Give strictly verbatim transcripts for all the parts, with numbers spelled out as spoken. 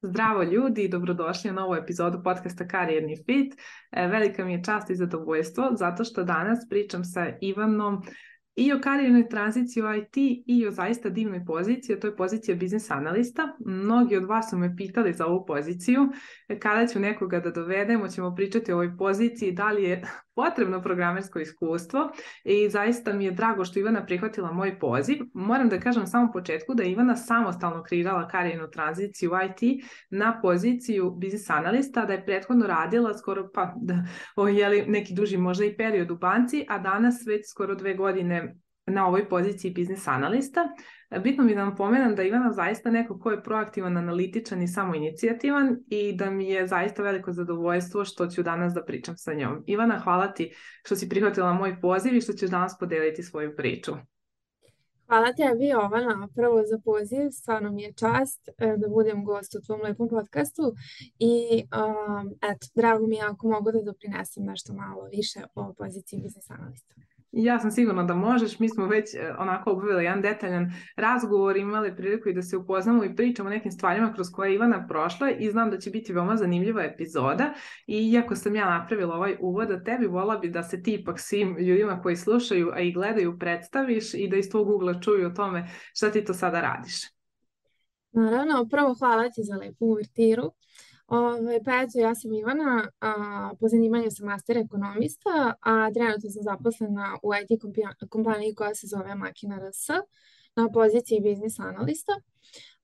Zdravo ljudi, dobrodošli na novu epizodu podcasta Karijerni fit. E, velika mi je čast i zadovoljstvo zato što danas pričam sa Ivanom i o karijernoj tranziciji u I T i o zaista divnoj poziciji, a to je pozicija biznis analista. Mnogi od vas su me pitali za ovu poziciju, kada ću nekoga da dovedemo, ćemo pričati o ovoj poziciji, da li je potrebno programersko iskustvo i zaista mi je drago što Ivana prihvatila moj poziv. Moram da kažem na samom početku da je Ivana samostalno kreirala karijernu tranziciju u I T na poziciju biznis analista, da je prethodno radila skoro pa da, o, jeli, neki duži možda i period u banci, a danas već skoro dve godine na ovoj poziciji biznis analista. Bitno mi da vam pomenem da Ivana zaista neko ko je proaktivan, analitičan i samoinicijativan i da mi je zaista veliko zadovoljstvo što ću danas da pričam sa njom. Ivana, hvala ti što si prihvatila moj poziv i što ćeš danas podeliti svoju priču. Hvala tebi, Jovana, prvo za poziv, stvarno mi je čast da budem gost u tvom lepom podcastu i um, eto, drago mi je ako mogu da doprinesem nešto malo više o poziciji biznis analista. Ja sam sigurna da možeš, mi smo već onako obavili jedan detaljan razgovor, imali priliku i da se upoznamo i pričamo o nekim stvarima kroz koje je Ivana prošla i znam da će biti veoma zanimljiva epizoda i iako sam ja napravila ovaj uvod o tebi, vola bi da se ti ipak svim ljudima koji slušaju, a i gledaju predstaviš i da iz tvog ugla čuju o tome šta ti to sada radiš. Naravno, prvo hvala ti za lepu uvertiru. Ove, pa eto, ja sam Ivana, a, po zanimanju sam master ekonomista, a trenutno sam zaposlena u I T kompaniji koja se zove Makina R S na poziciji biznis analista.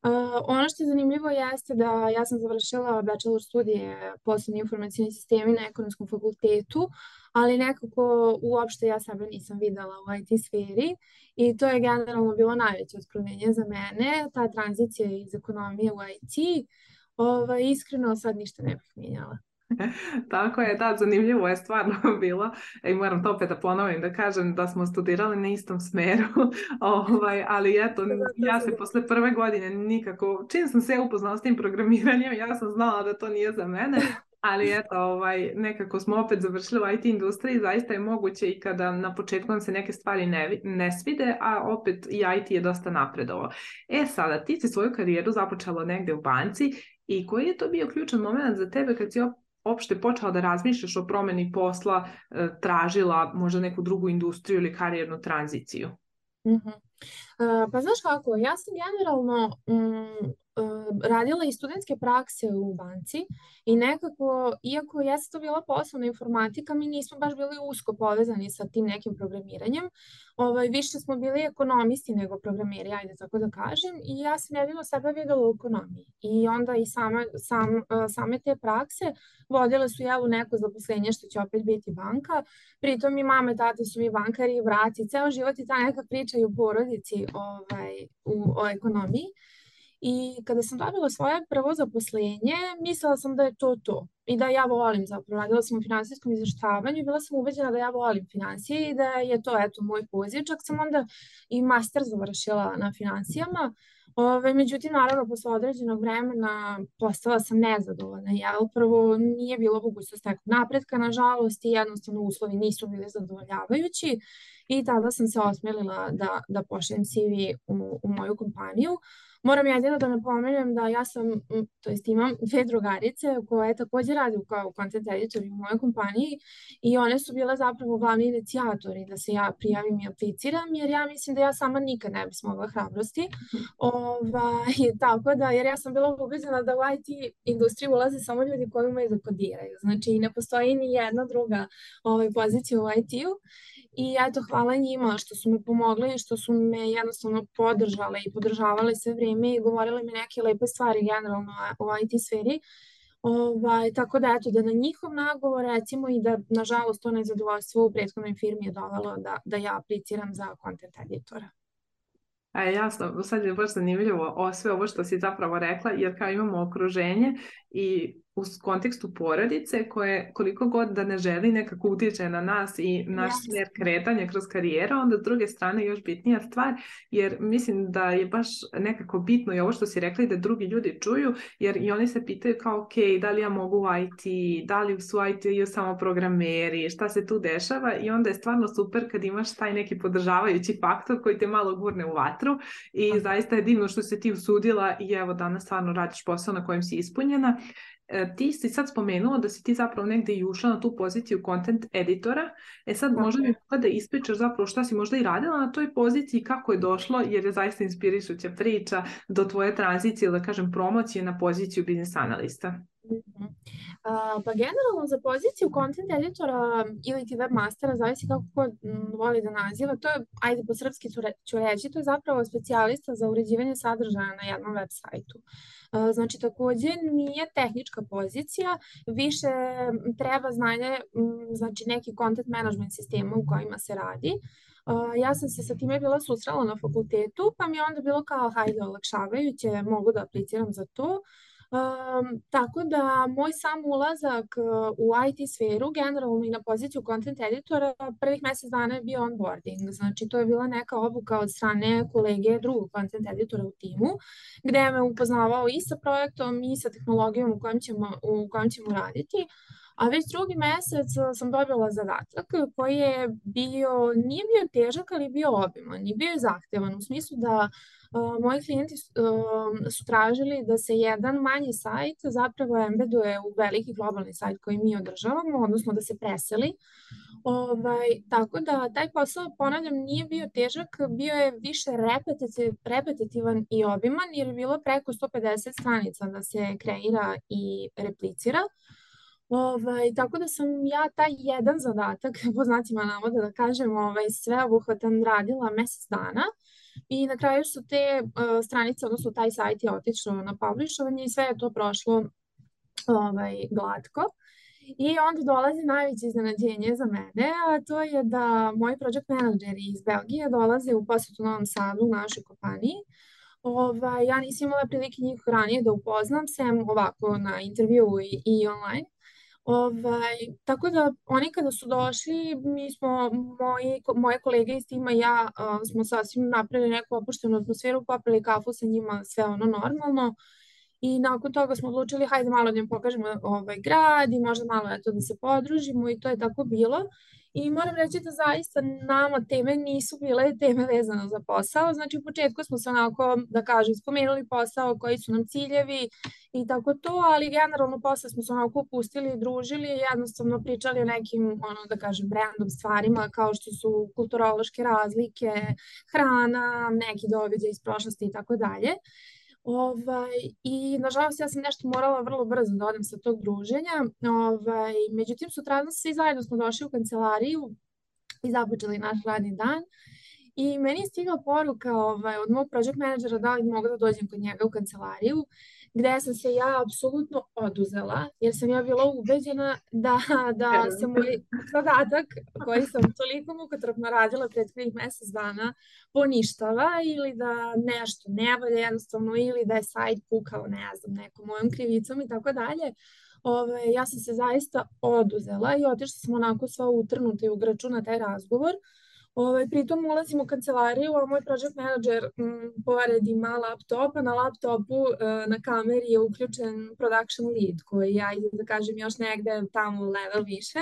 A, ono što je zanimljivo jeste da ja sam završila bachelor studije poslovni informacijni sistemi na ekonomskom fakultetu, ali nekako uopšte ja sebe nisam videla u I T sferi i to je generalno bilo najveće otkrivenje za mene, ta tranzicija iz ekonomije u I T. Ovo, iskreno sad ništa ne bih mijenjala. Tako je, da, zanimljivo je stvarno bilo i moram to opet da ponovim da kažem da smo studirali na istom smeru, ovaj, ali eto, ja se posle prve godine nikako, čim sam se upoznala s tim programiranjem, ja sam znala da to nije za mene, ali eto, ovaj, nekako smo opet završili u I T industriji, zaista je moguće i kada na početku nam se neke stvari ne, ne svide, a opet i I T je dosta napredovao. E sada, ti si svoju karijeru započela negde u banci i koji je to bio ključan moment za tebe kad si opšte počela da razmišljaš o promeni posla, tražila možda neku drugu industriju ili karijernu tranziciju? Mm-hmm. Uh, pa znaš kako, ja sam generalno um, uh, radila i studentske prakse u banci i nekako, iako jeste to bila poslovna informatika, mi nismo baš bili usko povezani sa tim nekim programiranjem. Ovaj, više smo bili ekonomisti nego programeri, ajde tako da kažem, i ja sam jedino sebe videla u ekonomiji. I onda i same, sam, uh, same te prakse vodile su jel u neko zaposlenje što će opet biti banka. Pritom i mame, tate su mi bankari i braci, ceo život i ta neka priča i u porodici ovaj, u, o ekonomiji. I kada sam dobila svoje prvo zaposlenje, mislila sam da je to to. I da ja volim zapravo. Radila sam u finansijskom izveštavanju i bila sam ubeđena da ja volim finansije i da je to eto moj poziv. Čak sam onda i master završila na finansijama. Ove, međutim, naravno, posle određenog vremena postala sam nezadovoljna. Ja upravo nije bilo mogućnost nekog napretka, nažalost, i jednostavno uslovi nisu bili zadovoljavajući. I tada sam se osmelila da, da pošaljem C V u, u moju kompaniju. Moram jedino da napomenem da ja sam, to jest imam dve drugarice koje također rade kao content editori u mojoj kompaniji i one su bile zapravo glavni inicijatori da se ja prijavim i apliciram, jer ja mislim da ja sama nikad ne bi smogla hrabrosti. Ovaj, tako da, jer ja sam bila ubeđena da u I T industriju ulaze samo ljudi koji umeju da kodiraju. Znači ne postoji ni jedna druga ovaj, pozicija u I T-u. I eto, hvala njima što su me pomogli i što su me jednostavno podržale i podržavale sve vrijeme i govorile mi neke lepe stvari generalno u I T sferi. Ovaj, tako da eto, da na njihov nagovor recimo i da nažalost to nezadovoljstvo u prethodnoj firmi je dovelo da, da ja apliciram za content editora. A jasno, sad je baš zanimljivo o sve ovo što si zapravo rekla, jer kao imamo okruženje i u kontekstu porodice koje koliko god da ne želi nekako utiče na nas i naš Yes. smjer kretanja kroz karijeru, onda s druge strane još bitnija stvar, jer mislim da je baš nekako bitno i ovo što si rekli da drugi ljudi čuju, jer i oni se pitaju kao ok, da li ja mogu u I T, da li su I T samo programeri, šta se tu dešava i onda je stvarno super kad imaš taj neki podržavajući faktor koji te malo gurne u vatru i Aha. zaista je divno što si ti usudila i evo danas stvarno radiš posao na kojem si ispunjena. E, ti si sad spomenula da si ti zapravo negde i ušla na tu poziciju content editora. E sad Tako možda mi je. mogla da ispričaš zapravo šta si možda i radila na toj poziciji, kako je došlo, jer je zaista inspirišuća priča do tvoje tranzicije, da kažem promocije na poziciju biznis analista. Mhm. A, pa generalno za poziciju content editora ili ti webmastera, zavisi kako ko m, voli da naziva, to je, ajde po srpski ću, re, ću reći, to je zapravo specijalista za uređivanje sadržaja na jednom web sajtu. A, znači takođe nije tehnička pozicija, više m, treba znanje, m, znači neki content management sistema u kojima se radi. Uh, ja sam se sa time bila susrela na fakultetu, pa mi je onda bilo kao, hajde, olakšavajuće, mogu da apliciram za to. Um, tako da moj sam ulazak uh, u I T sferu, generalno i na poziciju content editora, prvih mjesec dana je bio onboarding. Znači to je bila neka obuka od strane kolege drugog content editora u timu, gde je me upoznavao i sa projektom i sa tehnologijom u kojem ćemo, u kojem ćemo raditi. A već drugi mjesec sam dobila zadatak koji je bio, nije bio težak, ali je bio obiman i bio je zahtevan u smislu da uh, moji klijenti uh, su tražili da se jedan manji sajt zapravo embeduje u veliki globalni sajt koji mi održavamo, odnosno da se preseli. Ovaj, tako da taj posao, ponavljam, nije bio težak, bio je više repetitiv, repetitivan i obiman jer je bilo preko sto pedeset stranica da se kreira i replicira. Ovaj, tako da sam ja taj jedan zadatak, po znacima navoda da kažem, ovaj, sveobuhvatan radila mjesec dana i na kraju su te uh, stranice, odnosno taj sajt je otišao na publishovanje i sve je to prošlo ovaj, glatko. I onda dolazi najveće iznenađenje za mene, a to je da moji project menadžeri iz Belgije dolaze u posjetu Novom Sadu u našoj kompaniji. Ovaj, ja nisam imala prilike njih ranije da upoznam, sem ovako na intervju i, i online. Ovaj, tako da oni kada su došli, mi smo, moji, moje kolege iz tima i ja uh, smo sasvim napravili neku opuštenu atmosferu, popili kafu sa njima, sve ono normalno. I nakon toga smo odlučili, hajde malo da im pokažemo ovaj grad i možda malo eto da se podružimo i to je tako bilo. I moram reći da zaista nama teme nisu bile teme vezane za posao. Znači u početku smo se onako, da kažem, spomenuli posao, koji su nam ciljevi i tako to, ali generalno posle smo se onako pustili i družili i jednostavno pričali o nekim, ono da kažem, random stvarima kao što su kulturološke razlike, hrana, neki događaj iz prošlosti i tako dalje. Ovaj, I nažalost ja sam nešto morala vrlo brzo da odem sa tog druženja. Ovaj, međutim, sutradan svi zajedno smo došli u kancelariju i započeli naš radni dan. I meni je stigla poruka ovaj, od mog project menadžera da li mogu da dođem kod njega u kancelariju, gde sam se ja apsolutno oduzela, jer sam ja bila ubeđena da, da se moj zadatak koji sam toliko mukotrpno radila prethodnih mjesec dana poništava ili da nešto ne valja jednostavno ili da je sajt pukao, ne znam, nekom mojom krivicom i tako dalje. Ove, ja sam se zaista oduzela i otišla sam onako sva utrnuta i ugraču na taj razgovor. Ovaj, pritom ulazim u kancelariju, a moj project manager m, pored ima laptop, a na laptopu e, na kameri je uključen production lead koji ja, da kažem, još negde tamo level više.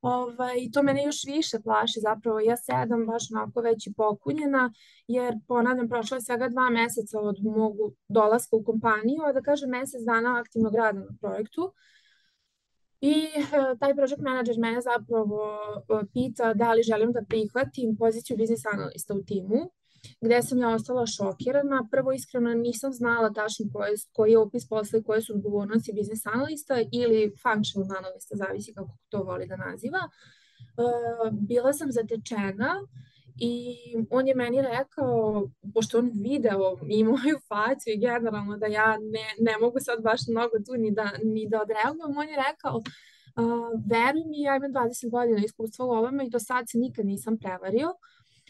Ovaj, I to mene još više plaši zapravo. Ja sedam baš onako već i pokunjena, jer ponavljam, prošlo je svega dva meseca od mog dolaska u kompaniju, a da kažem mesec dana aktivnog rada na projektu. I uh, taj project manager mene zapravo uh, pita da li želim da prihvatim poziciju biznis analista u timu, gde sam ja ostala šokirana. Prvo, iskreno nisam znala tačno koji, koji je opis posla i koje su odgovornosti biznis analista ili functional analista, zavisi kako to voli da naziva. Uh, bila sam zatečena i on je meni rekao, pošto on video i moju facu i generalno da ja ne, ne mogu sad baš mnogo tu ni da, ni da odreagujem, on je rekao, uh, veruj mi, ja imam dvadeset godina iskustva u ovome i do sad se nikad nisam prevario.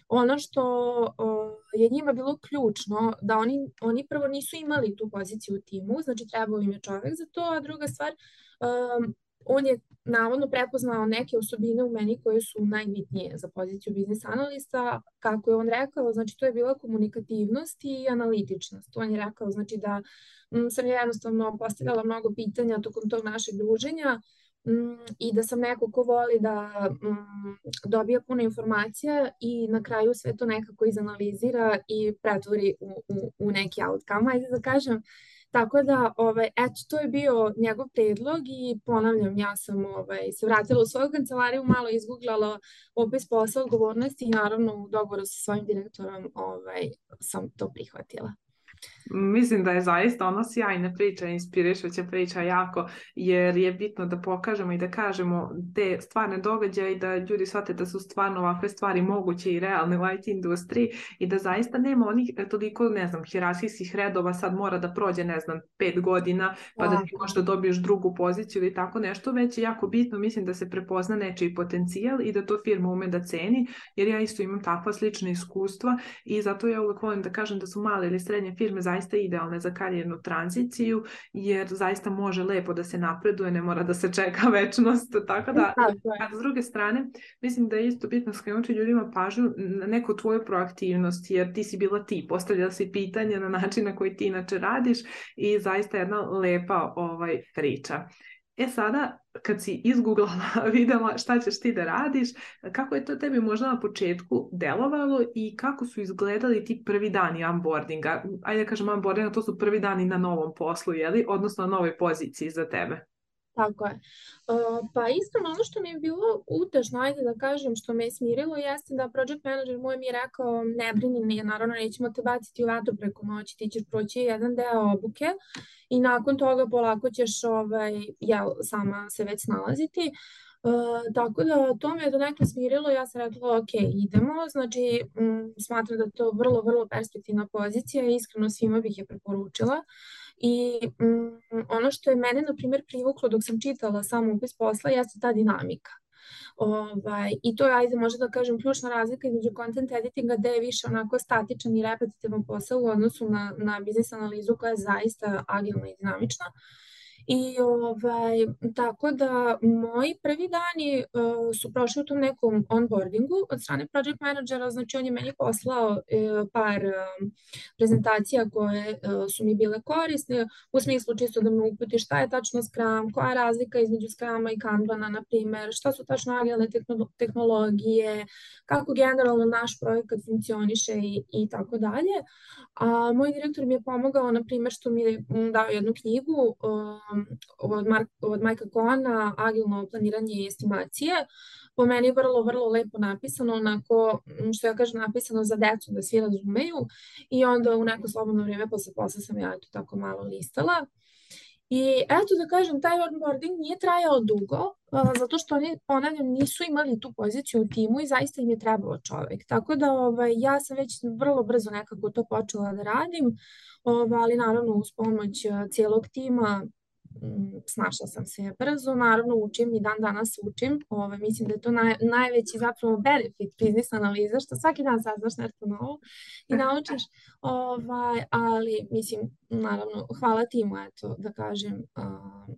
Ono što uh, je njima bilo ključno da oni, oni prvo nisu imali tu poziciju u timu, znači trebao im je čovek za to, a druga stvar, um, on je navodno prepoznao neke osobine u meni koje su najbitnije za poziciju biznis analista. Kako je on rekao, znači to je bila komunikativnost i analitičnost. On je rekao, znači da m, sam ja jednostavno postavljala mnogo pitanja tokom tog našeg druženja m, i da sam neko ko voli da m, dobija puno informacija i na kraju sve to nekako izanalizira i pretvori u, u, u neki outcome. Ajde da kažem, tako da, ovaj, eto, to je bio njegov predlog i ponavljam, ja sam ovaj, se vratila u svoju kancelariju, malo izguglala opis posla, odgovornosti i naravno u dogovoru sa svojim direktorom ovaj, sam to prihvatila. Mislim da je zaista ono sjajna priča, inspirišuća priča jako, jer je bitno da pokažemo i da kažemo te stvarne događaje i da ljudi shvate da su stvarno ovakve stvari moguće i realne u I T industriji i da zaista nema onih toliko, ne znam, hijerarhijskih redova, sad mora da prođe, ne znam, pet godina pa da ti možda dobiješ drugu poziciju ili tako nešto, već je jako bitno, mislim da se prepozna nečiji potencijal i da to firma ume da ceni, jer ja isto imam takva slična iskustva i zato ja uvek volim da kažem da su male ili srednje firme zaista idealne za karijernu tranziciju, jer zaista može lepo da se napreduje, ne mora da se čeka večnost, tako da, a s druge strane, mislim da je isto bitno skrenuti ljudima pažnju na neku tvoju proaktivnost, jer ti si bila ti, postavljala si pitanja na način na koji ti inače radiš i zaista jedna lepa ovaj, priča. E sada, kad si izgooglala, videla šta ćeš ti da radiš, kako je to tebi možda na početku delovalo i kako su izgledali ti prvi dani onboardinga? Ajde da kažem onboardinga, to su prvi dani na novom poslu, jeli? Odnosno na novoj poziciji za tebe. Tako je. Uh, pa iskreno ono što mi je bilo utešno, ajde da kažem, što me je smirilo, jeste da project manager moj mi je rekao ne brini, nije, naravno nećemo te baciti u vatru preko noći, ti ćeš proći jedan deo obuke i nakon toga polako ćeš ovaj, jel, sama se već snalaziti. Uh, tako da to me je donekle smirilo, ja sam rekla ok, idemo, znači m, smatram da je to vrlo, vrlo perspektivna pozicija i iskreno svima bih je preporučila. I mm, ono što je mene, na primjer, privuklo dok sam čitala sam upis posla jeste ta dinamika. Ovaj, I to je, ajde, možda da kažem, ključna razlika između content editinga gde je više onako statičan i repetitivan posao u odnosu na, na biznis analizu koja je zaista agilna i dinamična. I ovaj, tako da moji prvi dani uh, su prošli u tom nekom onboardingu od strane project managera, znači on je meni poslao uh, par uh, prezentacija koje uh, su mi bile korisne, u smislu čisto da me uputi šta je tačno Scrum, koja je razlika između Scruma i Kanbana, na primer, šta su tačno agilne tehnologije, kako generalno naš projekat funkcioniše i, i tako dalje. A moj direktor mi je pomogao, na primer, što mi je dao jednu knjigu um, od, Mark, od Majka Kohana, Agilno planiranje i estimacije. Po meni je vrlo, vrlo lepo napisano, onako, što ja kažem, napisano za decu da svi razumeju. I onda u neko slobodno vrijeme posle posla sam ja to tako malo listala. I eto da kažem, taj onboarding nije trajao dugo, uh, zato što oni, ponavljam, nisu imali tu poziciju u timu i zaista im je trebalo čovek. Tako da ovaj, ja sam već vrlo brzo nekako to počela da radim, ovaj, ali naravno uz pomoć uh, cijelog tima m, snašla sam se brzo, naravno učim i dan danas učim, ovaj, mislim da je to naj, najveći zapravo benefit biznis analiza, što svaki dan saznaš nešto novo i naučiš, ovaj, ali mislim, naravno, hvala timu, eto, da kažem, uh,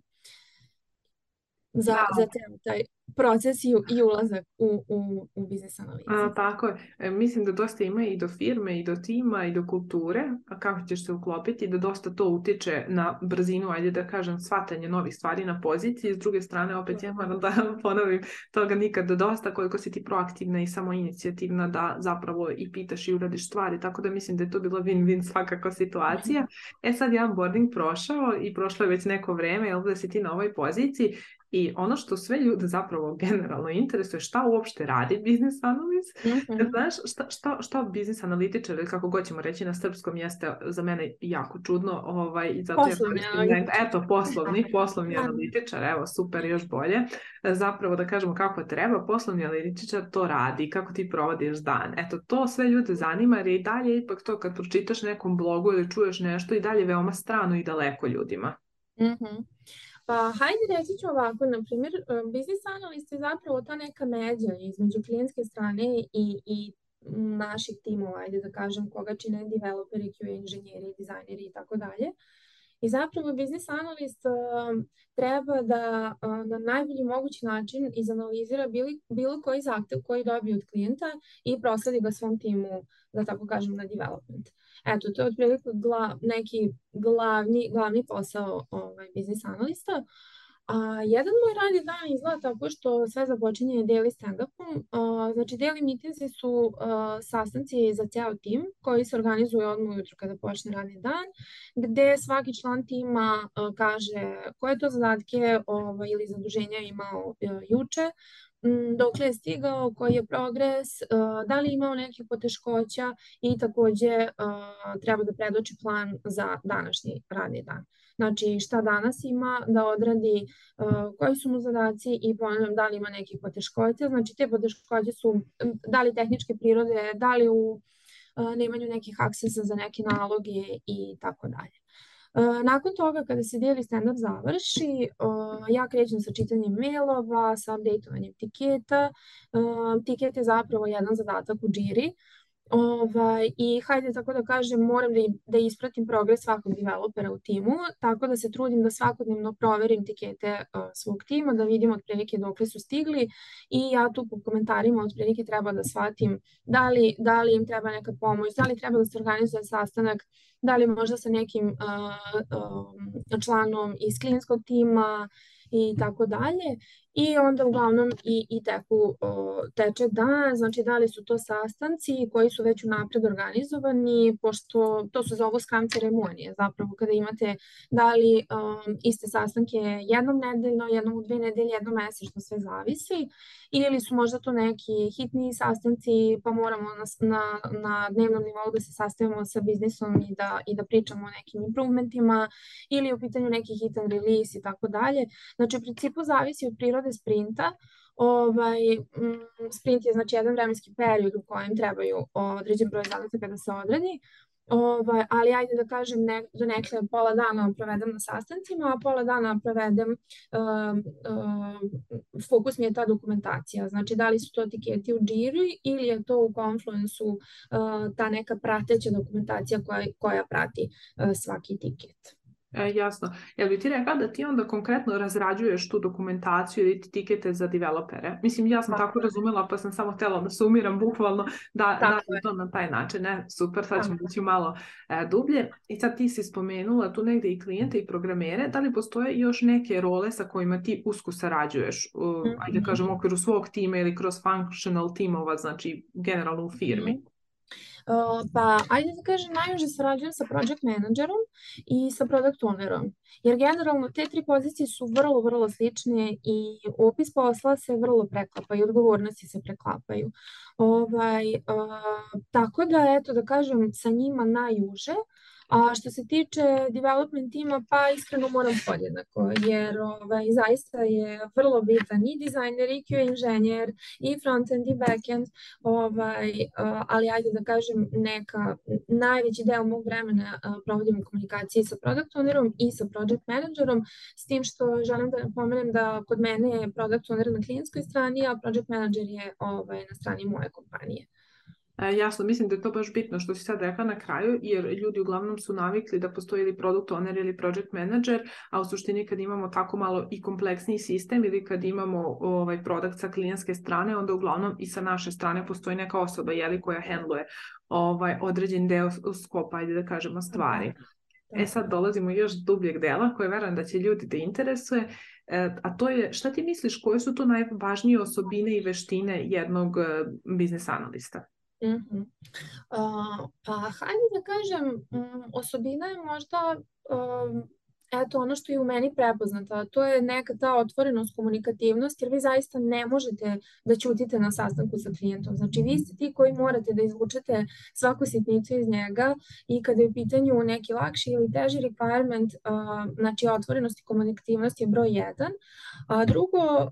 za, Da. za cijel taj proces i, i ulazak u, u, u biznis analizu. A, tako je. E, mislim da dosta ima i do firme, i do tima, i do kulture, a kako ćeš se uklopiti, da dosta to utiče na brzinu, ajde da kažem, shvatanje novih stvari na poziciji. S druge strane, opet ja moram da ponovim, toga nikada dosta, koliko si ti proaktivna i samo inicijativna da zapravo i pitaš i uradiš stvari, tako da mislim da je to bila win-win svakako situacija. E sad je onboarding prošao i prošlo je već neko vreme, jel da si ti na ovoj poziciji. I ono što sve ljude zapravo generalno interesuje, šta uopšte radi biznis analist, mm-hmm. Znaš, šta, šta, šta biznis analitičar, ili kako god ćemo reći na srpskom, jeste za mene jako čudno. Ovaj, zato poslovni je, analitičar. Eto, poslovni, poslovni analitičar, evo, super, još bolje. Zapravo da kažemo kako treba, poslovni analitičar to radi, kako ti provodiš dan. Eto, to sve ljude zanima, jer je i dalje ipak to kad pročitaš nekom blogu ili čuješ nešto i dalje veoma strano i daleko ljudima. Mhm. Pa hajde reći ću ovako, na primjer, biznis analist je zapravo ta neka međa između klijentske strane i, i naših timova, ajde da kažem, koga čine developeri, Q A inženjeri, dizajneri i tako dalje. I zapravo biznis analist uh, treba da uh, na najbolji mogući način izanalizira bili, bilo koji zahtev koji dobije od klijenta i prosledi ga svom timu, da tako kažem, na development. Eto, to je otprilike gla, neki glavni, glavni posao ovaj, biznis analista. A jedan moj radni dan izgleda tako što sve započinje daily stand-upom. Uh, znači, daily meetingsi su uh, sastanci za ceo tim koji se organizuju odmah ujutru kada počne radni dan, gde svaki član tima uh, kaže koje to zadatke ovaj, ili zaduženja imao uh, juče, dokle je stigao, koji je progres, da li je imao nekih poteškoća i takođe treba da predoči plan za današnji radni dan. Znači šta danas ima da odradi, koji su mu zadaci i ponavljam da li ima nekih poteškoća. Znači te poteškoće su da li tehničke prirode, da li u nemanju nekih aksesa za neke naloge i tako dalje. Nakon toga, kada se daily stand-up završi, ja krećem sa čitanjem mailova, sa updateovanjem tiketa. Tiket je zapravo jedan zadatak u Jiri. Ovaj, I hajde tako da kažem, moram da, da ispratim progres svakog developera u timu, tako da se trudim da svakodnevno proverim tikete uh, svog tima, da vidim otprilike dokle su stigli i ja tu po komentarima otprilike treba da shvatim da li, da li im treba neka pomoć, da li treba da se organizuje sastanak, da li možda sa nekim uh, uh, članom iz klijentskog tima i tako dalje. I onda uglavnom i, i teku, o, teče dan, znači da li su to sastanci koji su već unapred organizovani, pošto to su zovu scrum ceremonije, zapravo kada imate da li um, iste sastanke jednom nedeljno, jednom u dve nedelje, jednom mesečno, sve zavisi, ili su možda to neki hitni sastanci, pa moramo na, na, na dnevnom nivou da se sastavimo sa biznisom i da, i da pričamo o nekim improvementima, ili u pitanju neki hitan release i tako dalje. Znači u principu zavisi od prirode sprinta. Ovaj, sprint je znači jedan vremenski period u kojem trebaju određen broj zadataka da se odradi, ovaj, ali ajde da kažem ne, do nekle pola dana provedem na sastancima, a pola dana provedem, uh, uh, fokus mi je ta dokumentacija, znači da li su to tiketi u Jiri ili je to u Confluence-u uh, ta neka prateća dokumentacija koja, koja prati uh, svaki tiket. E, jasno. Jel bi ti rekla da ti onda konkretno razrađuješ tu dokumentaciju ili tikete za developere? Mislim, ja sam tako, tako razumela, pa sam samo htjela da sumiram bukvalno da, da je to na taj način. Ne? Super, sad ćemo ići malo e, dublje. I sad ti si spomenula tu negdje i klijente i programere. Da li postoje još neke role sa kojima ti usko sarađuješ? Uh, mm-hmm. Ajde kažem, u okviru svog tima ili kroz functional timova, znači generalno u firmi? Mm-hmm. Uh, pa ajde da kažem, najviše sarađujem sa project managerom i sa product ownerom, jer generalno te tri pozicije su vrlo, vrlo slične i opis posla se vrlo preklapa i odgovornosti se preklapaju. Ovaj, uh, tako da, eto da kažem, sa njima najuže. A što se tiče development tima, pa iskreno moram podjednako, jer ovaj, zaista je vrlo bitan i dizajner, i Q A inženjer, i frontend, i backend, ovaj, ali ajde da kažem, neka, najveći deo mog vremena provodim u komunikaciji sa product ownerom i sa project managerom, s tim što želim da napomenem da kod mene je product owner na klijentskoj strani, a project manager je ovaj, na strani moje kompanije. E, jasno, mislim da je to baš bitno što si sad rekla na kraju, jer ljudi uglavnom su navikli da postoji ili product owner ili project manager, a u suštini kad imamo tako malo i kompleksniji sistem ili kad imamo ovaj produkt sa klijentske strane, onda uglavnom i sa naše strane postoji neka osoba jeli, koja handluje ovaj određen deo skopa, ajde da kažemo, stvari. E sad dolazimo još dubljeg dela koje verujem da će ljudi da interesuje, e, a to je šta ti misliš koje su to najvažnije osobine i veštine jednog uh, biznis analista? Mm-hmm. Uh, pa hajde da kažem, um, osobina je možda um, eto ono što je u meni prepoznata, to je neka ta otvorenost, komunikativnost, jer vi zaista ne možete da ćutite na sastanku sa klijentom. Znači vi ste ti koji morate da izvučete svaku sitnicu iz njega i kada je u pitanju neki lakši ili teži requirement, uh, znači otvorenost i komunikativnost je broj jedan, a drugo uh,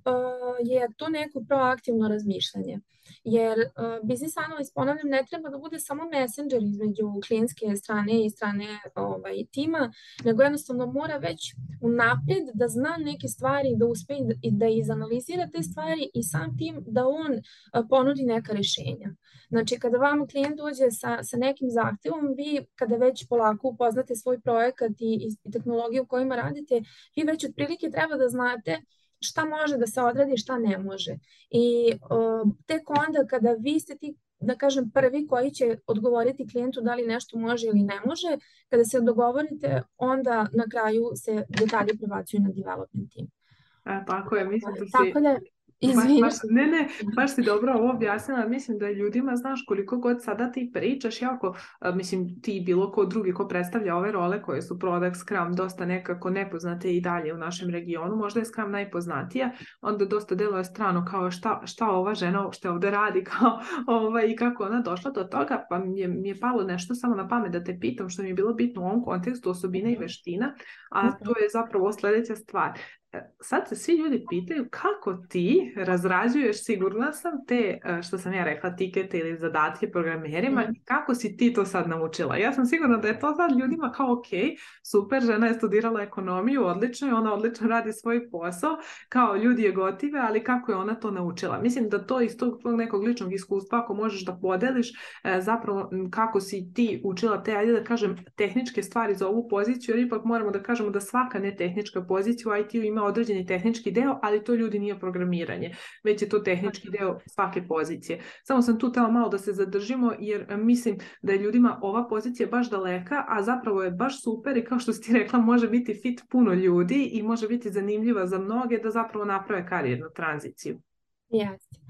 je to neko proaktivno razmišljanje. jer uh, business analyst, ponavljam, ne treba da bude samo messenger između klijentske strane i strane ovaj, tima, nego jednostavno mora već unaprijed da zna neke stvari, da uspe i da, i da izanalizira te stvari i sam tim da on uh, ponudi neka rešenja. Znači, kada vam klijent dođe sa, sa nekim zahtevom, vi kada već polako upoznate svoj projekat i, i tehnologiju u kojima radite, vi već otprilike treba da znate šta može da se odradi, šta ne može. I uh, tek onda kada vi ste ti, da kažem, prvi koji će odgovoriti klijentu da li nešto može ili ne može, kada se dogovorite, onda na kraju se detalji prebacuju na development team. A, tako je, mislim da si... Tako da, Baš, baš, ne, ne, baš si dobro ovo objasnila, mislim da ljudima, znaš, koliko god sada ti pričaš, jako, mislim, ti bilo ko drugi ko predstavlja ove role koje su Product, Scrum, dosta nekako nepoznate i dalje u našem regionu, možda je Scrum najpoznatija, onda dosta deluje strano kao šta, šta ova žena uopšte ovde radi, kao ovaj, i kako ona došla do toga, pa mi je, mi je palo nešto samo na pamet da te pitam, što mi je bilo bitno u ovom kontekstu, osobine i veština, a to je zapravo sljedeća stvar. Sad se svi ljudi pitaju kako ti razrađuješ, sigurna sam, te, što sam ja rekla, tikete ili zadatke programerima, mm. kako si ti to sad naučila? Ja sam sigurna da je to sad ljudima kao ok, super, žena je studirala ekonomiju, odlično je, ona odlično radi svoj posao, kao ljudi je gotive, ali kako je ona to naučila? Mislim da to iz tog nekog ličnog iskustva, ako možeš da podeliš zapravo kako si ti učila te, ajde da kažem, tehničke stvari za ovu poziciju, jer ipak moramo da kažemo da svaka netehnička pozicija u I T-u ima određeni tehnički deo, ali to ljudi nije programiranje, već je to tehnički deo svake pozicije. Samo sam tu tela malo da se zadržimo, jer mislim da je ljudima ova pozicija baš daleka, a zapravo je baš super i kao što si ti rekla, može biti fit puno ljudi i može biti zanimljiva za mnoge da zapravo naprave karijernu tranziciju. Jeste.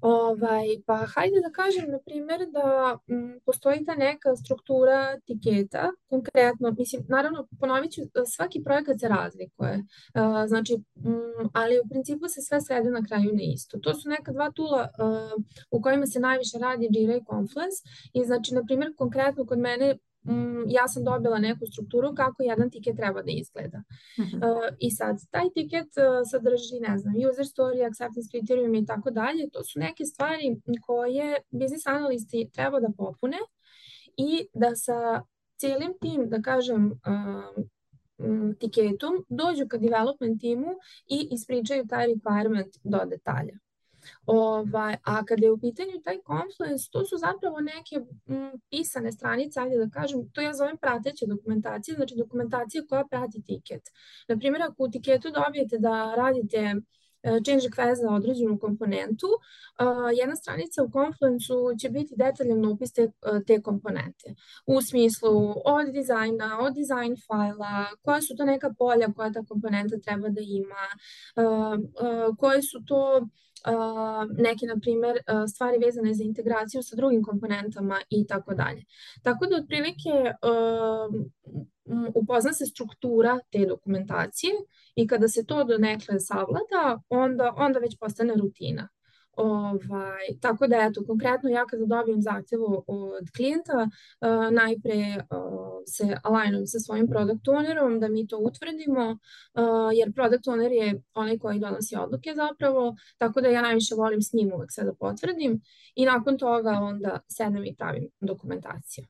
Ovaj, pa hajde da kažem, na primjer, da m, postoji ta neka struktura tiketa, konkretno, mislim, naravno, ponovit ću, svaki projekat se razlikuje, uh, znači, m, ali u principu se sve svede na kraju na isto. To su neka dva tula uh, u kojima se najviše radi Jira i Confluence i znači, na primjer, konkretno kod mene Mm, ja sam dobila neku strukturu kako jedan tiket treba da izgleda. Uh-huh. Uh, I sad, taj tiket uh, sadrži, ne znam, user story, acceptance criterium i tako dalje. To su neke stvari koje business analisti treba da popune i da sa cijelim tim, da kažem, uh, um, tiketom dođu ka development timu i ispričaju taj requirement do detalja. Ovaj, a kada je u pitanju taj Confluence, to su zapravo neke m, pisane stranice, ajde da kažem, to ja zovem prateće dokumentacije, znači dokumentacija koja prati tiket. Naprimjer, ako u tiketu dobijete da radite change request za određenu komponentu, uh, jedna stranica u Confluence-u će biti detaljan opis te, te komponente. U smislu od dizajna, od dizajn fajla, koja su to neka polja koja ta komponenta treba da ima, uh, uh, koje su to Uh, neke, na primjer, uh, stvari vezane za integraciju sa drugim komponentama i tako dalje. Tako da, otprilike, uh, upozna se struktura te dokumentacije i kada se to donekle savlada, onda, onda već postane rutina. Ovaj, tako da, eto, konkretno ja kada dobijem zahtjevu od klijenta, uh, najpre uh, se alignujem sa svojim product ownerom da mi to utvrdimo, uh, jer product owner je onaj koji donosi odluke zapravo, tako da ja najviše volim s njim uvek sve da potvrdim i nakon toga onda sednem i pravim dokumentaciju.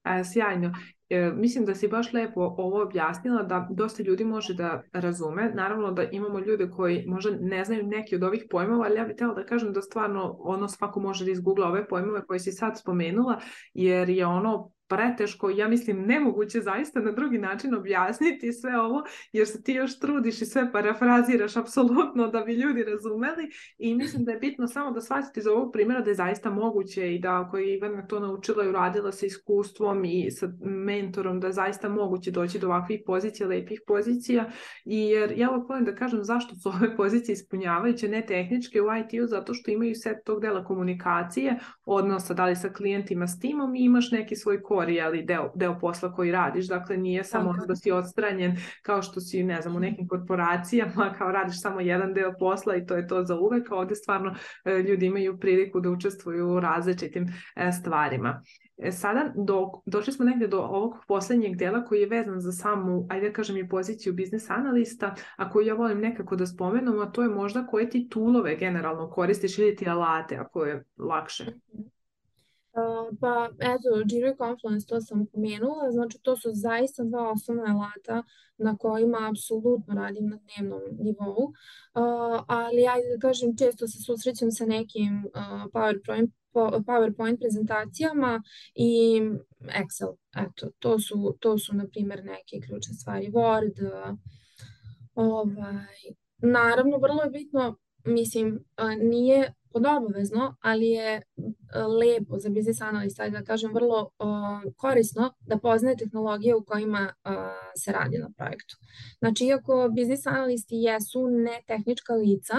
A, sjajno. E, mislim da si baš lepo ovo objasnila, da dosta ljudi može da razume. Naravno da imamo ljude koji možda ne znaju neki od ovih pojmova, ali ja bih htjela da kažem da stvarno ono svako može da izgoogla ove pojmove koje si sad spomenula, jer je ono preteško, ja mislim nemoguće zaista na drugi način objasniti sve ovo, jer se ti još trudiš i sve parafraziraš apsolutno da bi ljudi razumeli i mislim da je bitno samo da shvatite iz ovog primjera da je zaista moguće i da ako je Ivana to naučila i uradila sa iskustvom i sa mentorom, da je zaista moguće doći do ovakvih pozicija, lepih pozicija, i jer ja ovo volim da kažem zašto su ove pozicije ispunjavajuće, ne tehničke u I T-u, zato što imaju set tog dela komunikacije, odnosa da li sa klijentima, s timom i imaš neki svoj kod core, ali deo, deo posla koji radiš, dakle nije samo Tako je. da si odstranjen kao što si, ne znam, u nekim korporacijama, kao radiš samo jedan deo posla i to je to za uvek, a ovde stvarno e, ljudi imaju priliku da učestvuju u različitim e, stvarima. E, sada do, došli smo negde do ovog poslednjeg dela koji je vezan za samu, ajde da kažem i poziciju biznis analista, a koju ja volim nekako da spomenem, a to je možda koje ti toolove generalno koristiš ili ti alate ako je lakše. Uh, pa eto, Jira i Confluence, to sam pomenula, znači to su zaista dva osnovna alata na kojima apsolutno radim na dnevnom nivou, uh, ali ajde da kažem, često se susrećem sa nekim uh, PowerPoint, PowerPoint prezentacijama i Excel, eto, to su, to su na primjer neke ključne stvari, Word, uh, ovaj, naravno vrlo je bitno, mislim, uh, nije podobavezno, ali je lepo za biznis analista, da kažem, vrlo uh, korisno da poznaje tehnologije u kojima uh, se radi na projektu. Znači, iako biznis analisti jesu ne tehnička lica,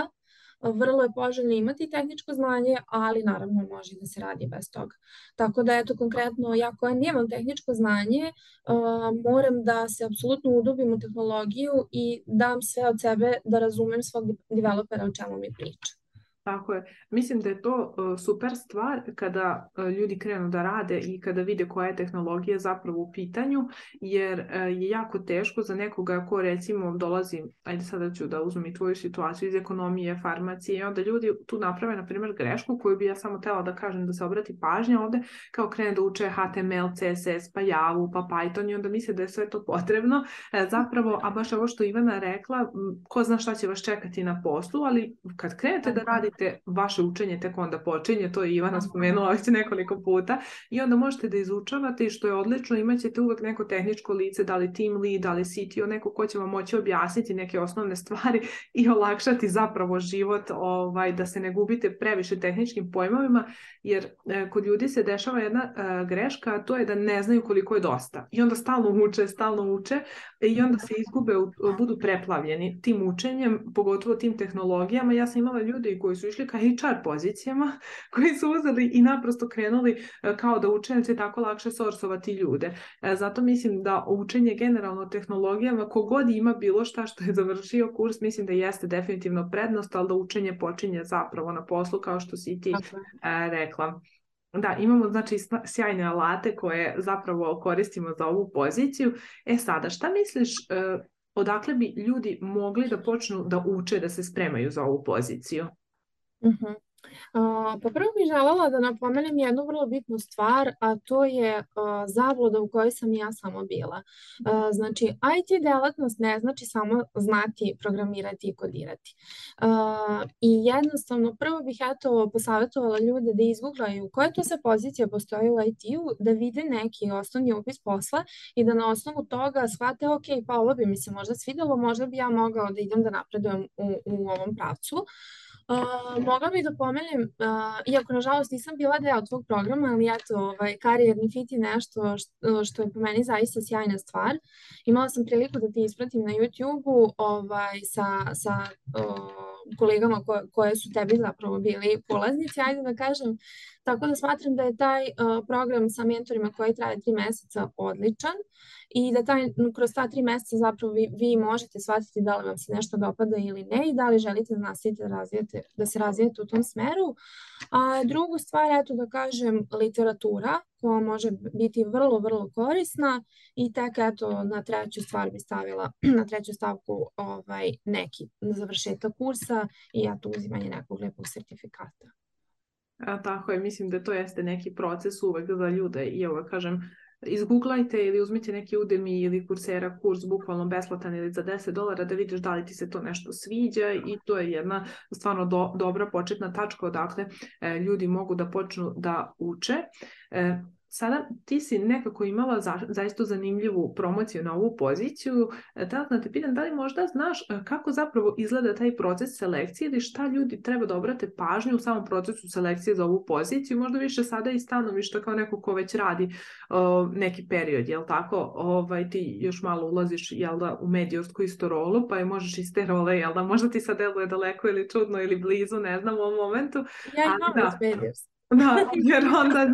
vrlo je poželjno imati tehničko znanje, ali naravno može da se radi bez toga. Tako da, eto, konkretno, ja koja nemam tehničko znanje, uh, moram da se apsolutno udubim u tehnologiju i dam sve od sebe da razumem svog developera o čemu mi priča. Tako je. Mislim da je to uh, super stvar kada uh, ljudi krenu da rade i kada vide koja je tehnologija zapravo u pitanju, jer uh, je jako teško za nekoga ko recimo dolazi, ajde sada ću da uzmem i tvoju situaciju iz ekonomije, farmacije, i onda ljudi tu naprave, na primjer, grešku koju bi ja samo htela da kažem da se obrati pažnja ovde, kao krene da uče H T M L, C S S, pa Javu, pa Python i onda misle da je sve to potrebno. E, zapravo, a baš ovo što Ivana rekla, ko zna šta će vas čekati na poslu, ali kad krenete da radite vaše učenje tek onda počinje, to je Ivana spomenula već nekoliko puta, i onda možete da izučavate i što je odlično, imat ćete uvek neko tehničko lice, da li team lead, da li C T O, neko ko će vam moći objasniti neke osnovne stvari i olakšati zapravo život, ovaj, da se ne gubite previše tehničkim pojmovima, jer e, kod ljudi se dešava jedna e, greška, a to je da ne znaju koliko je dosta i onda stalno uče, stalno uče i onda se izgube, budu preplavljeni tim učenjem, pogotovo tim tehnologijama. Ja sam imala ljudi koji su išli ka H R pozicijama, koji su uzeli i naprosto krenuli kao da uče, jer će tako lakše sorsovati ljude. Zato mislim da učenje generalno tehnologijama, kogod ima bilo šta što je završio kurs, mislim da jeste definitivno prednost, ali da učenje počinje zapravo na poslu, kao što si ti okay. rekla. Da, imamo znači sjajne alate koje zapravo koristimo za ovu poziciju. E sada, šta misliš, odakle bi ljudi mogli da počnu da uče, da se spremaju za ovu poziciju? Uh-huh. Uh, pa prvo bih želela da napomenem jednu vrlo bitnu stvar, a to je uh, zabluda u kojoj sam ja samo bila. Uh, znači, I T delatnost ne znači samo znati programirati i kodirati. Uh, I jednostavno, prvo bih eto posavjetovala ljude da izgooglaju koje to sve pozicije postoje u I T-u, da vide neki osnovni opis posla i da na osnovu toga shvate, ok, pa ovo bi mi se možda svidelo, možda bi ja mogao da idem da napredujem u, u ovom pravcu. Uh, mogla bih da pomenem, uh, iako nažalost nisam bila deo tvog programa, ali eto, ovaj, karijerni fit je nešto što, što je po meni zaista sjajna stvar. Imala sam priliku da ti ispratim na YouTube-u ovaj, sa, sa uh, kolegama ko, koje su tebi zapravo bili polaznici, ajde da kažem. Tako da smatram da je taj uh, program sa mentorima koji traje tri meseca odličan i da taj, kroz ta tri meseca zapravo vi, vi možete shvatiti da li vam se nešto dopada ili ne i da li želite da nastavite da, razvijete, da se razvijete u tom smeru. A drugu stvar, eto da kažem, literatura koja može biti vrlo, vrlo korisna i tek eto na treću stvar bi stavila, na treću stavku ovaj, neki završetak kursa i eto uzimanje nekog lepog sertifikata. A, tako je, mislim da to jeste neki proces uvek za ljude i evo kažem, izgooglajte ili uzmite neki Udemy ili Coursera kurs bukvalno besplatan ili za deset dolara da vidiš da li ti se to nešto sviđa i to je jedna stvarno do, dobra početna tačka odakle e, ljudi mogu da počnu da uče. E, Sada ti si nekako imala za, zaista zanimljivu promociju na ovu poziciju. Da te pitam, da li možda znaš kako zapravo izgleda taj proces selekcije ili šta ljudi treba da obrate pažnju u samom procesu selekcije za ovu poziciju? Možda više sada i stanovišta kao neko ko već radi uh, neki period, jel tako? Ovaj, ti još malo ulaziš jel da, u medijorsku isto rolu, pa je možeš iz te role, jel da? Možda ti sad deluje daleko ili čudno ili blizu, ne znam u ovom momentu. Ja imam već medijorski. Da, jer onda,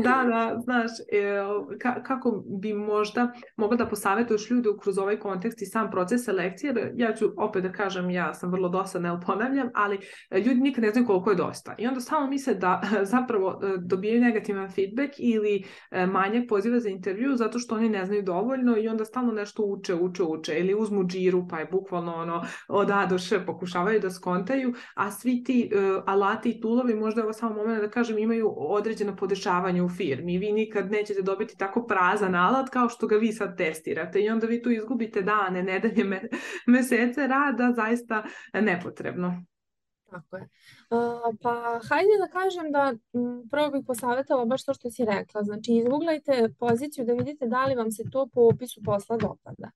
da, da, znaš, e, ka, kako bi možda mogla da posavetuješ ljude kroz ovaj kontekst i sam proces selekcije, jer ja ću opet da kažem, ja sam vrlo dosadna, jel ponavljam, ali ljudi nikad ne znaju koliko je dosta. I onda samo misle da zapravo dobijaju negativan feedback ili manjak poziva za intervju zato što oni ne znaju dovoljno i onda stalno nešto uče, uče, uče ili uzmu džiru pa je bukvalno ono od A do Š pokušavaju da skontaju, a svi ti uh, alati i tulovi možda ovo samo moment da kažem imaju određeno podešavanje u firmi. Vi nikad nećete dobiti tako prazan alat kao što ga vi sad testirate i onda vi tu izgubite dane, nedelje, me, mesece rada, zaista nepotrebno. Tako je. Uh, pa hajde da kažem da m, prvo bih posavjetala baš to što si rekla. Znači, izguglajte poziciju da vidite da li vam se to po opisu posla dopada.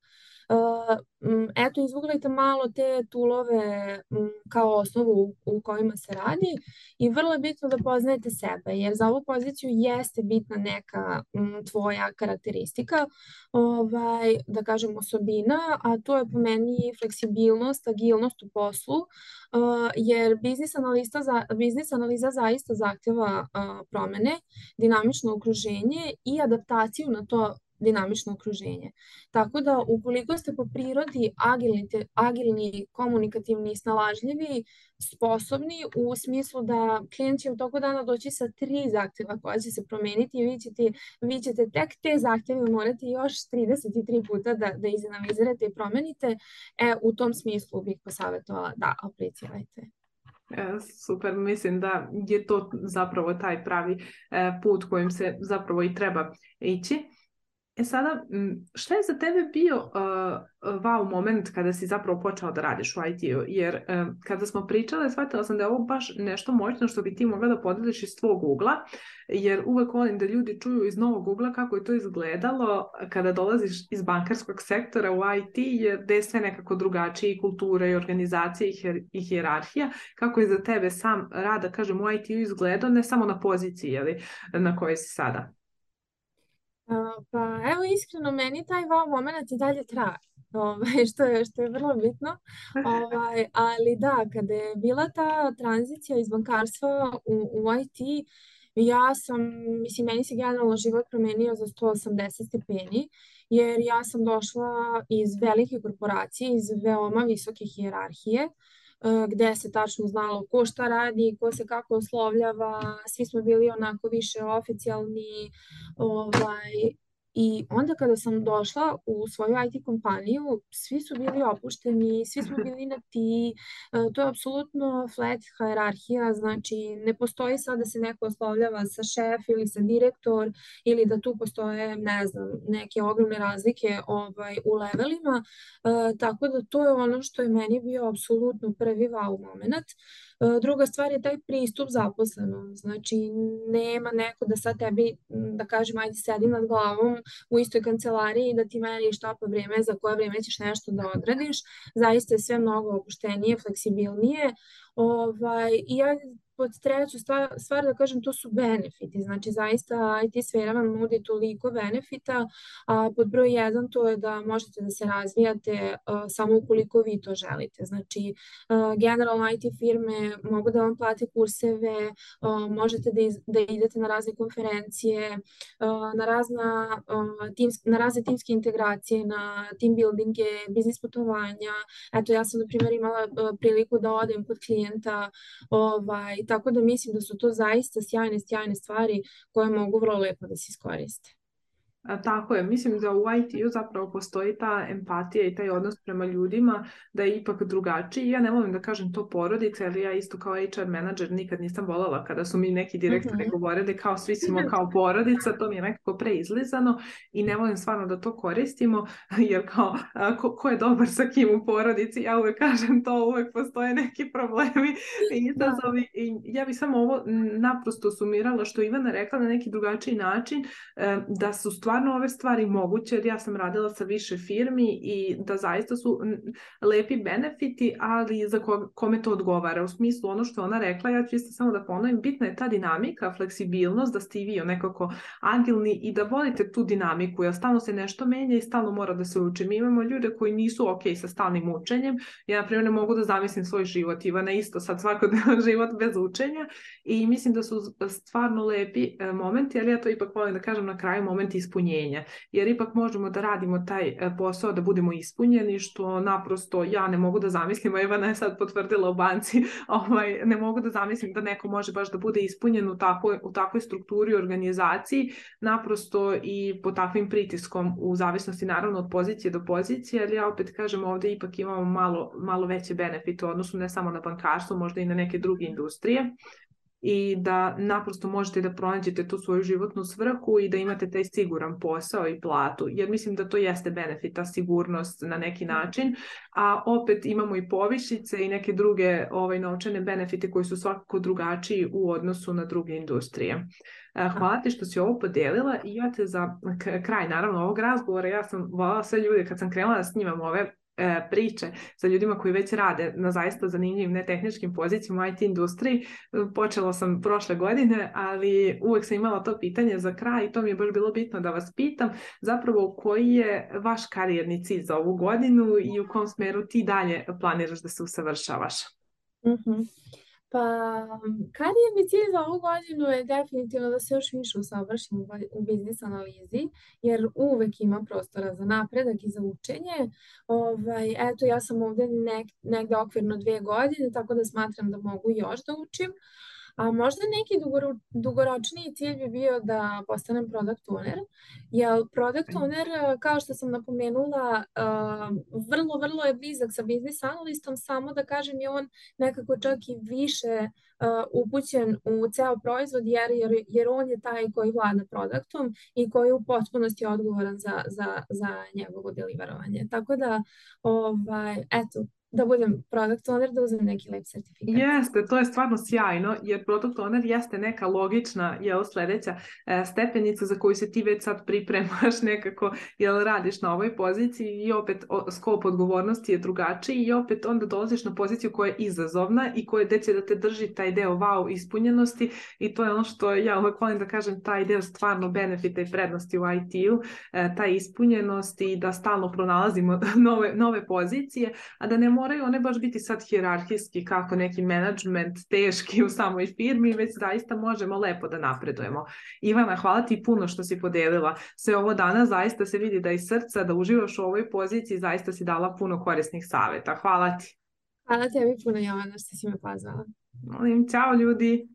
Uh, m, eto, izguglajte malo te tulove m, kao osnovu u, u kojima se radi i vrlo je bitno da poznajete sebe, jer za ovu poziciju jeste bitna neka m, tvoja karakteristika, ovaj, da kažem osobina, a to je po meni fleksibilnost, agilnost u poslu, uh, jer biznis analiza, za, biznis analiza zaista zahtjeva uh, promene, dinamično okruženje i adaptaciju na to dinamično okruženje. Tako da ukoliko ste po prirodi agilni, agilni, komunikativni i snalažljivi, sposobni u smislu da klijent će u toku dana doći sa tri zahtjeva koja će se promeniti i vi ćete, vi ćete tek te zahtjeve morati još trideset tri puta da, da izanalizirate i promenite, e, u tom smislu bih posavjetovala da aplicirajte. Super, mislim da je to zapravo taj pravi put kojim se zapravo i treba ići. E sada, šta je za tebe bio uh, wow moment kada si zapravo počela da radiš u I T-u? Jer uh, kada smo pričale, shvatila sam da je ovo baš nešto moćno što bi ti mogla da podeliš iz tvog ugla, jer uvek volim da ljudi čuju iz novog ugla kako je to izgledalo kada dolaziš iz bankarskog sektora u I T, jer gde je sve nekako drugačije i kultura i organizacija i, hier, i hijerarhija. Kako je za tebe sam rad, da kažem, u I T-u izgledao, ne samo na poziciji jeli, na kojoj si sada? Uh, pa evo iskreno meni taj wow moment i dalje traje, ovaj, što je, što je vrlo bitno, ovaj, ali da, kada je bila ta tranzicija iz bankarstva u, u I T, ja sam, mislim, meni se generalno život promenio za sto osamdeset stepeni, jer ja sam došla iz velike korporacije, iz veoma visoke hijerarhije, gde se tačno znalo ko šta radi, ko se kako oslovljava, svi smo bili onako više oficijalni, ovaj, i onda kada sam došla u svoju I T kompaniju, svi su bili opušteni, svi smo bili na ti, to je apsolutno flat hijerarhija, znači ne postoji sad da se neko oslovljava sa šef ili sa direktor ili da tu postoje, ne znam, neke ogromne razlike ovaj, u levelima, uh, tako da to je ono što je meni bio apsolutno prvi wow moment. Uh, druga stvar je taj pristup zaposlenom, znači nema neko da sad tebi, da kažem, ajde sedim nad glavom u istoj kancelariji da ti meni štapa vrijeme za koje vrijeme ćeš nešto da odradiš. Zaista je sve mnogo opuštenije, fleksibilnije. Ovaj, I ja pod treću stvar, stvar da kažem, to su benefiti. Znači zaista I T sfera vam nudi toliko benefita, a pod broj jedan to je da možete da se razvijate uh, samo ukoliko vi to želite. Znači uh, generalno I T firme mogu da vam plate kurseve, uh, možete da, iz, da idete na razne konferencije, uh, na, razna, uh, teams, na razne timske integracije, na team buildinge, biznis putovanja. Eto, ja sam na primjer imala uh, priliku da odem kod klijenta, ovaj, tako da mislim da su to zaista sjajne, sjajne stvari koje mogu vrlo lepo da se iskoriste. A, tako je, mislim da u I T-u zapravo postoji ta empatija i taj odnos prema ljudima da je ipak drugačiji. Ja ne volim da kažem to porodica, ali ja isto kao H R menadžer nikad nisam voljela kada su mi neki direktori uh-huh. govorili kao svi smo kao porodica, to mi je nekako preizlizano i ne volim stvarno da to koristimo, jer kao ko, ko je dobar sa kim u porodici, ja uvek kažem to, uvek postoje neki problemi i izazovi. I ja bih samo ovo naprosto sumirala što Ivana rekla na neki drugačiji način, da su stvari stvarno ove stvari moguće, jer ja sam radila sa više firmi i da zaista su lepi benefiti, ali za ko, kome to odgovara. U smislu ono što ona rekla, ja ću isto samo da ponovim, bitna je ta dinamika, fleksibilnost, da ste i vi nekako agilni i da volite tu dinamiku, jer stalno se nešto menja i stalno mora da se uči. Mi imamo ljude koji nisu ok sa stalnim učenjem. Ja, na primjer, ne mogu da zamislim svoj život, Ivana isto sad svakodnevno život bez učenja, i mislim da su stvarno lepi momenti, ali ja to ipak volim da kažem na kraju, moment ispunjenja, jer ipak možemo da radimo taj posao da budemo ispunjeni, što naprosto ja ne mogu da zamislim, a Ivana je sad potvrdila u banci, ovaj, ne mogu da zamislim da neko može baš da bude ispunjen u takvoj, u takvoj strukturi i organizaciji, naprosto i pod takvim pritiskom, u zavisnosti naravno od pozicije do pozicije, ali ja opet kažem, ovdje ipak imamo malo, malo veće benefite u odnosu ne samo na bankarstvo, možda i na neke druge industrije, i da naprosto možete da pronađete tu svoju životnu svrhu i da imate taj siguran posao i platu, jer mislim da to jeste benefit, ta sigurnost na neki način, a opet imamo i povišice i neke druge ovaj, novčane benefite koji su svakako drugačiji u odnosu na druge industrije. Hvala ti što si ovo podelila, i ja te za kraj naravno ovog razgovora, ja sam voljela sve ljude kad sam krenula da snimam ove priče sa ljudima koji već rade na zaista zanimljivim netehničkim pozicijama u I T industriji. Počela sam prošle godine, ali uvek sam imala to pitanje za kraj i to mi je baš bilo bitno da vas pitam zapravo koji je vaš karijerni cilj za ovu godinu i u kom smeru ti dalje planiraš da se usavršavaš? Mhm. Pa, karijerni cilj za ovu godinu je definitivno da se još više usavršim u biznis analizi, jer uvek ima prostora za napredak i za učenje. Ovaj, eto, ja sam ovdje nek, negde okvirno dvije godine, tako da smatram da mogu još da učim. A možda neki dugoro, dugoročniji cilj bi bio da postanem product owner, jer product owner, kao što sam napomenula, vrlo, vrlo je blizak sa biznis analistom, samo da kažem je on nekako čak i više upućen u ceo proizvod, jer, jer, jer on je taj koji vlada produktom i koji je u potpunosti odgovoran za, za, za njegovo deliverovanje. Tako da, ovaj, eto, da budem product owner, da uzmem neki lep sertifikat. Jeste, to je stvarno sjajno, jer product owner jeste neka logična, jel, sledeća e, stepenica za koju se ti već sad pripremaš nekako, jel, radiš na ovoj poziciji, i opet o, skop odgovornosti je drugačiji, i opet onda dolaziš na poziciju koja je izazovna i koja će da te drži taj deo wow ispunjenosti, i to je ono što ja uvek volim da kažem, taj deo stvarno benefita i prednosti u I T-u, e, taj ispunjenost i da stalno pronalazimo nove, nove pozicije, a da ne moraju one baš biti sad hijerarhijski kako neki menadžment teški u samoj firmi, već zaista možemo lepo da napredujemo. Ivana, hvala ti puno što si podelila sve ovo danas, zaista se vidi da iz srca, da uživaš u ovoj poziciji, zaista si dala puno korisnih saveta. Hvala ti. Hvala tebi puno, Jovana, što si me pozvala. Molim, ćao ljudi.